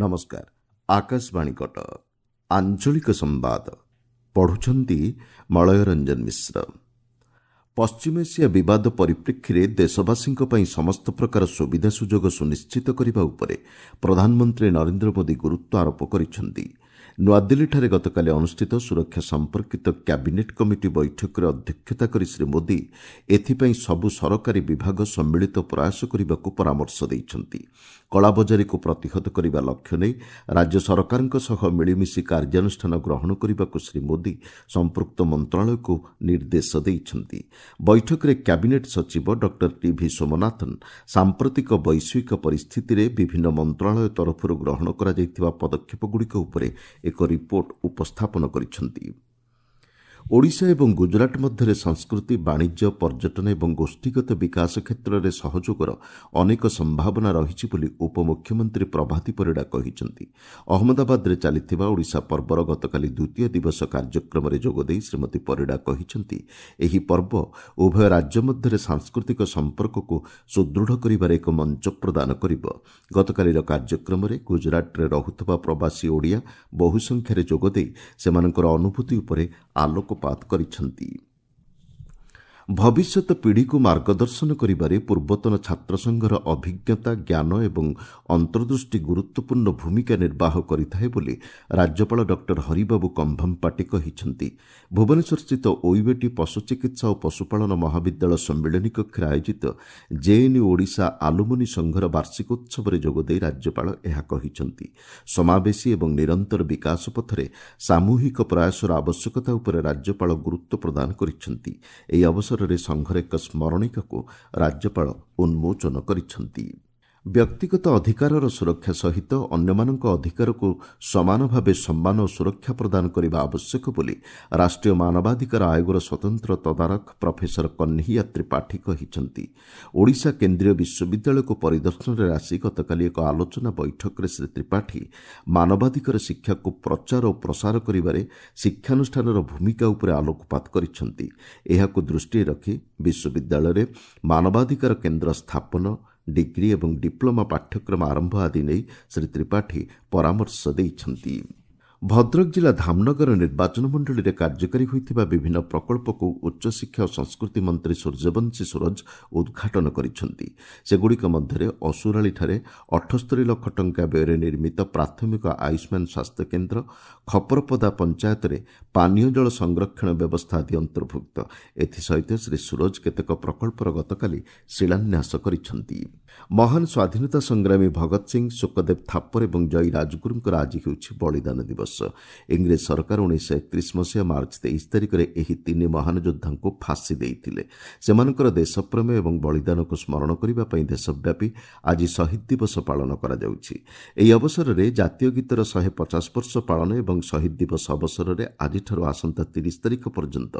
ନମସ୍କାର, ଆକାଶବାଣୀ କଟକ। ଆଞ୍ଚଳିକ ସମ୍ବାଦ ପଢୁଛନ୍ତି ମଳୟ ରଞ୍ଜନ ମିଶ୍ର। ପଶ୍ଚିମ ଏସିଆ ବିବାଦ ପରିପ୍ରେକ୍ଷୀରେ ଦେଶବାସୀଙ୍କ ପାଇଁ ସମସ୍ତ ପ୍ରକାର ସୁବିଧା ସୁଯୋଗ ସୁନିଶ୍ଚିତ କରିବା ଉପରେ ପ୍ରଧାନମନ୍ତ୍ରୀ ନରେନ୍ଦ୍ର ମୋଦି ଗୁରୁତ୍ୱ ଆରୋପ କରିଛନ୍ତି। ନୂଆଦିଲ୍ଲୀଠାରେ ଗତକାଲି ଅନୁଷ୍ଠିତ ସୁରକ୍ଷା ସମ୍ପର୍କିତ କ୍ୟାବିନେଟ୍ କମିଟି ବୈଠକରେ ଅଧ୍ୟକ୍ଷତା କରି ଶ୍ରୀ ମୋଦି ଏଥିପାଇଁ ସବୁ ସରକାରୀ ବିଭାଗ ସମ୍ମିଳିତ ପ୍ରୟାସ କରିବାକୁ ପରାମର୍ଶ ଦେଇଛନ୍ତି। କଳାବଜାରୀକୁ ପ୍ରତିହତ କରିବା ଲକ୍ଷ୍ୟ ନେଇ ରାଜ୍ୟ ସରକାରଙ୍କ ସହ ମିଳିମିଶି କାର୍ଯ୍ୟାନୁଷ୍ଠାନ ଗ୍ରହଣ କରିବାକୁ ଶ୍ରୀ ମୋଦି ସମ୍ପୃକ୍ତ ମନ୍ତ୍ରଣାଳୟକୁ ନିର୍ଦ୍ଦେଶ ଦେଇଛନ୍ତି। ବୈଠକରେ କ୍ୟାବିନେଟ୍ ସଚିବ ଡକ୍ଟର ଟିଭି ସୋମନାଥନ୍ ସାମ୍ପ୍ରତିକ ବୈଶ୍ୱିକ ପରିସ୍ଥିତିରେ ବିଭିନ୍ନ ମନ୍ତ୍ରଣାଳୟ ତରଫରୁ ଗ୍ରହଣ କରାଯାଇଥିବା ପଦକ୍ଷେପଗୁଡ଼ିକ ଉପରେ ଏକ ରିପୋର୍ଟ ଉପସ୍ଥାପନ କରିଛନ୍ତି। ଓଡ଼ିଶା ଏବଂ ଗୁଜରାଟ ମଧ୍ୟରେ ସଂସ୍କୃତି, ବାଣିଜ୍ୟ, ପର୍ଯ୍ୟଟନ ଏବଂ ଗୋଷ୍ଠୀଗତ ବିକାଶ କ୍ଷେତ୍ରରେ ସହଯୋଗର ଅନେକ ସମ୍ଭାବନା ରହିଛି ବୋଲି ଉପମୁଖ୍ୟମନ୍ତ୍ରୀ ପ୍ରଭାତୀ ପରିଡ଼ା କହିଛନ୍ତି। ଅହମ୍ମଦାବାଦରେ ଚାଲିଥିବା ଓଡ଼ିଶା ପର୍ବର ଗତକାଲି ଦ୍ୱିତୀୟ ଦିବସ କାର୍ଯ୍ୟକ୍ରମରେ ଯୋଗଦେଇ ଶ୍ରୀମତୀ ପରିଡ଼ା କହିଛନ୍ତି, ଏହି ପର୍ବ ଉଭୟ ରାଜ୍ୟ ମଧ୍ୟରେ ସାଂସ୍କୃତିକ ସମ୍ପର୍କକୁ ସୁଦୃଢ଼ କରିବାରେ ଏକ ମଞ୍ଚ ପ୍ରଦାନ କରିବ। ଗତକାଲିର କାର୍ଯ୍ୟକ୍ରମରେ ଗୁଜରାଟରେ ରହୁଥିବା ପ୍ରବାସୀ ଓଡ଼ିଆ ବହୁ ସଂଖ୍ୟାରେ ଯୋଗଦେଇ ସେମାନଙ୍କର ଅନୁଭୂତି ଉପରେ ଆଲୋକପାତ କରିଛନ୍ତି। ଭବିଷ୍ୟତ ପିଢ଼ିକୁ ମାର୍ଗଦର୍ଶନ କରିବାରେ ପୂର୍ବତନ ଛାତ୍ର ସଂଘର ଅଭିଜ୍ଞତା, ଜ୍ଞାନ ଏବଂ ଅନ୍ତର୍ଦୃଷ୍ଟି ଗୁରୁତ୍ୱପୂର୍ଣ୍ଣ ଭୂମିକା ନିର୍ବାହ କରିଥାଏ ବୋଲି ରାଜ୍ୟପାଳ ଡକ୍ଟର ହରିବାବୁ କମ୍ଭମପାଟି କହିଛନ୍ତି। ଭୁବନେଶ୍ୱରସ୍ଥିତ ଓୟୁଏଟି ପଶୁ ଚିକିତ୍ସା ଓ ପଶୁପାଳନ ମହାବିଦ୍ୟାଳୟ ସମ୍ମିଳନୀ କକ୍ଷରେ ଆୟୋଜିତ ଜେଏନ୍ୟୁ ଓଡ଼ିଶା ଆଲୁମିନି ସଂଘର ବାର୍ଷିକୋତ୍ସବରେ ଯୋଗଦେଇ ରାଜ୍ୟପାଳ ଏହା କହିଛନ୍ତି। ସମାବେଶୀ ଏବଂ ନିରନ୍ତର ବିକାଶ ପଥରେ ସାମୂହିକ ପ୍ରୟାସର ଆବଶ୍ୟକତା ଉପରେ ରାଜ୍ୟପାଳ ଗୁରୁତ୍ୱ ପ୍ରଦାନ କରିଛନ୍ତି। ଏହି ଅବସରରେ ସଂଘର ଏକ ସ୍ମରଣିକାକୁ ରାଜ୍ୟପାଳ ଉନ୍ମୋଚନ କରିଛନ୍ତି। ବ୍ୟକ୍ତିଗତ ଅଧିକାରର ସୁରକ୍ଷା ସହିତ ଅନ୍ୟମାନଙ୍କ ଅଧିକାରକୁ ସମାନ ଭାବେ ସମ୍ମାନ ଓ ସୁରକ୍ଷା ପ୍ରଦାନ କରିବା ଆବଶ୍ୟକ ବୋଲି ରାଷ୍ଟ୍ରୀୟ ମାନବାଧିକାର ଆୟୋଗର ସ୍ୱତନ୍ତ୍ର ତଦାରଖ ପ୍ରଫେସର କହ୍ନେୟା ତ୍ରିପାଠୀ କହିଛନ୍ତି। ଓଡ଼ିଶା କେନ୍ଦ୍ରୀୟ ବିଶ୍ୱବିଦ୍ୟାଳୟକୁ ପରିଦର୍ଶନରେ ଆସି ଗତକାଲି ଏକ ଆଲୋଚନା ବୈଠକରେ ଶ୍ରୀ ତ୍ରିପାଠୀ ମାନବାଧିକାର ଶିକ୍ଷାକୁ ପ୍ରଚାର ଓ ପ୍ରସାର କରିବାରେ ଶିକ୍ଷାନୁଷ୍ଠାନର ଭୂମିକା ଉପରେ ଆଲୋକପାତ କରିଛନ୍ତି। ଏହାକୁ ଦୃଷ୍ଟିରେ ରଖି ବିଶ୍ୱବିଦ୍ୟାଳୟରେ ମାନବାଧିକାର କେନ୍ଦ୍ର ସ୍ଥାପନ, ଡିଗ୍ରୀ ଏବଂ ଡିପ୍ଲୋମା ପାଠ୍ୟକ୍ରମ ଆରମ୍ଭ ଆଦି ନେଇ ଶ୍ରୀ ତ୍ରିପାଠୀ ପରାମର୍ଶ ଦେଇଛନ୍ତି। ଭଦ୍ରକ ଜିଲ୍ଲା ଧାମନଗର ନିର୍ବାଚନ ମଣ୍ଡଳୀରେ କାର୍ଯ୍ୟକାରୀ ହୋଇଥିବା ବିଭିନ୍ନ ପ୍ରକଳ୍ପକୁ ଉଚ୍ଚଶିକ୍ଷା ଓ ସଂସ୍କୃତି ମନ୍ତ୍ରୀ ସୂର୍ଯ୍ୟବଂଶୀ ସୂରଜ ଉଦ୍ଘାଟନ କରିଛନ୍ତି। ସେଗୁଡ଼ିକ ମଧ୍ୟରେ ଅସୁରାଳିଠାରେ 78 ଲକ୍ଷ ଟଙ୍କା ବ୍ୟୟରେ ନିର୍ମିତ ପ୍ରାଥମିକ ଆୟୁଷ୍ମାନ ସ୍ୱାସ୍ଥ୍ୟକେନ୍ଦ୍ର, ଖପରପଦା ପଞ୍ଚାୟତରେ ପାନୀୟ ଜଳ ସଂରକ୍ଷଣ ବ୍ୟବସ୍ଥା ଆଦି ଅନ୍ତର୍ଭୁକ୍ତ। ଏଥିସହିତ ଶ୍ରୀ ସୂରଜ କେତେକ ପ୍ରକଳ୍ପର ଗତକାଲି ଶିଳାନ୍ୟାସ କରିଛନ୍ତି। ମହାନ ସ୍ୱାଧୀନତା ସଂଗ୍ରାମୀ ଭଗତ ସିଂ, ସୁଖଦେବ ଥାପର ଏବଂ ଜୟୀ ରାଜଗୁରୁଙ୍କର ଆଜି ହେଉଛି ବଳିଦାନ ଦିବସ। ଇଂରେଜ ସରକାର 1931 ମସିହା ମାର୍ଚ୍ଚ 23 ତାରିଖରେ ଏହି ତିନି ମହାନ ଯୋଦ୍ଧାଙ୍କୁ ଫାଶୀ ଦେଇଥିଲେ। ସେମାନଙ୍କର ଦେଶପ୍ରେମ ଏବଂ ବଳିଦାନକୁ ସ୍ମରଣ କରିବା ପାଇଁ ଦେଶବ୍ୟାପୀ ଆଜି ଶହୀଦ ଦିବସ ପାଳନ କରାଯାଉଛି। ଏହି ଅବସରରେ ଜାତୀୟ ଗୀତର 150 ବର୍ଷ ପାଳନ ଏବଂ ଶହୀଦ ଦିବସ ଅବସରରେ ଆଜିଠାରୁ ଆସନ୍ତା 30 ତାରିଖ ପର୍ଯ୍ୟନ୍ତ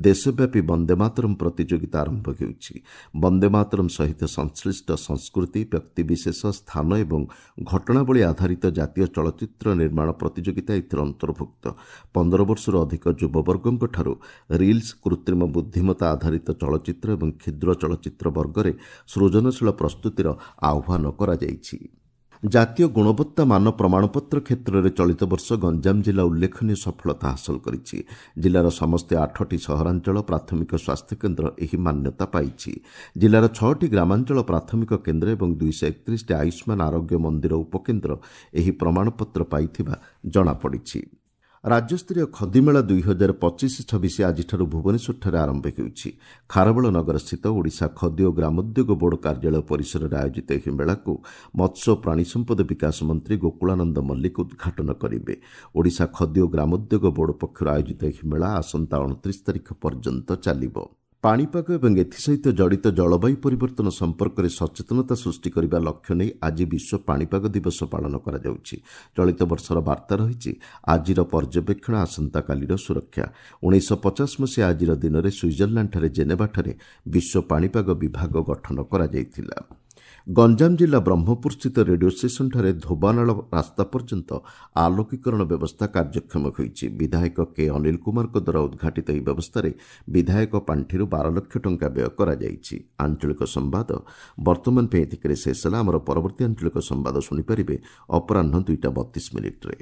ଦେଶବ୍ୟାପୀ ବନ୍ଦେ ମାତରମ୍ ପ୍ରତିଯୋଗିତା ଆରମ୍ଭ ହେଉଛି। ବନ୍ଦେ ମାତରମ୍ ସହିତ ସଂଶ୍ଳିଷ୍ଟ ସଂସ୍କୃତି, ବ୍ୟକ୍ତିବିଶେଷ, ସ୍ଥାନ ଏବଂ ଘଟଣାବଳୀ ଆଧାରିତ ଜାତୀୟ ଚଳଚ୍ଚିତ୍ର ନିର୍ମାଣ ପ୍ରତିଯୋଗିତା ଏଥିରେ ଅନ୍ତର୍ଭୁକ୍ତ। 15 ବର୍ଷରୁ ଅଧିକ ଯୁବବର୍ଗଙ୍କଠାରୁ ରିଲ୍ସ, କୃତ୍ରିମ ବୁଦ୍ଧିମତ୍ତା ଆଧାରିତ ଚଳଚ୍ଚିତ୍ର ଏବଂ କ୍ଷୁଦ୍ର ଚଳଚ୍ଚିତ୍ର ବର୍ଗରେ ସୃଜନଶୀଳ ପ୍ରସ୍ତୁତିର ଆହ୍ୱାନ କରାଯାଇଛି। ଜାତୀୟ ଗୁଣବତ୍ତା ମାନ ପ୍ରମାଣପତ୍ର କ୍ଷେତ୍ରରେ ଚଳିତ ବର୍ଷ ଗଞ୍ଜାମ ଜିଲ୍ଲା ଉଲ୍ଲେଖନୀୟ ସଫଳତା ହାସଲ କରିଛି। ଜିଲ୍ଲାର ସମସ୍ତ 8ଟି ସହରାଞ୍ଚଳ ପ୍ରାଥମିକ ସ୍ୱାସ୍ଥ୍ୟକେନ୍ଦ୍ର ଏହି ମାନ୍ୟତା ପାଇଛି। ଜିଲ୍ଲାର 6ଟି ଗ୍ରାମାଞ୍ଚଳ ପ୍ରାଥମିକ କେନ୍ଦ୍ର ଏବଂ 231ଟି ଆୟୁଷ୍ମାନ ଆରୋଗ୍ୟ ମନ୍ଦିର ଉପକେନ୍ଦ୍ର ଏହି ପ୍ରମାଣପତ୍ର ପାଇଥିବା ଜଣାପଡ଼ିଛି। ରାଜ୍ୟସ୍ତରୀୟ ଖଦିମେଳା 2025-26 ଆଜିଠାରୁ ଭୁବନେଶ୍ୱରଠାରେ ଆରମ୍ଭ ହେଉଛି। ଖାରବେଳ ନଗରସ୍ଥିତ ଓଡ଼ିଶା ଖଦି ଓ ଗ୍ରାମୋଦ୍ୟୋଗ ବୋର୍ଡ କାର୍ଯ୍ୟାଳୟ ପରିସରରେ ଆୟୋଜିତ ଏହି ମେଳାକୁ ମତ୍ସ୍ୟ ଓ ପ୍ରାଣୀ ସମ୍ପଦ ବିକାଶ ମନ୍ତ୍ରୀ ଗୋକୁଳାନନ୍ଦ ମଲ୍ଲିକ ଉଦ୍ଘାଟନ କରିବେ। ଓଡ଼ିଶା ଖଦି ଓ ଗ୍ରାମୋଦ୍ୟୋଗ ବୋର୍ଡ ପକ୍ଷରୁ ଆୟୋଜିତ ଏହି ମେଳା ଆସନ୍ତା 29 ତାରିଖ ପର୍ଯ୍ୟନ୍ତ ଚାଲିବ। ପାଣିପାଗ ଏବଂ ଏଥିସହିତ ଜଡ଼ିତ ଜଳବାୟୁ ପରିବର୍ତ୍ତନ ସମ୍ପର୍କରେ ସଚେତନତା ସୃଷ୍ଟି କରିବା ଲକ୍ଷ୍ୟ ନେଇ ଆଜି ବିଶ୍ୱ ପାଣିପାଗ ଦିବସ ପାଳନ କରାଯାଉଛି। ଚଳିତ ବର୍ଷର ବାର୍ତ୍ତା ରହିଛି, ଆଜିର ପର୍ଯ୍ୟବେକ୍ଷଣ ଆସନ୍ତାକାଲିର ସୁରକ୍ଷା। 1950 ମସିହା ଆଜିର ଦିନରେ ସୁଇଜରଲ୍ୟାଣ୍ଡଠାରେ ଜେନେଭାଠାରେ ବିଶ୍ୱ ପାଣିପାଗ ବିଭାଗ ଗଠନ କରାଯାଇଥିଲା। ଗଞ୍ଜାମ ଜିଲ୍ଲା ବ୍ରହ୍ମପୁରସ୍ଥିତ ରେଡିଓ ଷ୍ଟେସନଠାରେ ଧୋବାନାଳ ରାସ୍ତା ପର୍ଯ୍ୟନ୍ତ ଆଲୋକୀକରଣ ବ୍ୟବସ୍ଥା କାର୍ଯ୍ୟକ୍ଷମ ହୋଇଛି। ବିଧାୟକ କେ ଅନିଲ କୁମାରଙ୍କ ଦ୍ୱାରା ଉଦ୍ଘାଟିତ ଏହି ବ୍ୟବସ୍ଥାରେ ବିଧାୟକ ପାଣ୍ଠିରୁ 12 ଲକ୍ଷ ଟଙ୍କା ବ୍ୟୟ କରାଯାଇଛି। ଆଞ୍ଚଳିକ ସମ୍ବାଦ ବର୍ତ୍ତମାନ ପାଇଁ ଏତିକିରେ ଶେଷ ହେଲା। ଆମର ପରବର୍ତ୍ତୀ ଆଞ୍ଚଳିକ ସମ୍ବାଦ ଶୁଣିପାରିବେ ଅପରାହ୍ନ 2ଟା 32 ମିନିଟ୍ରେ।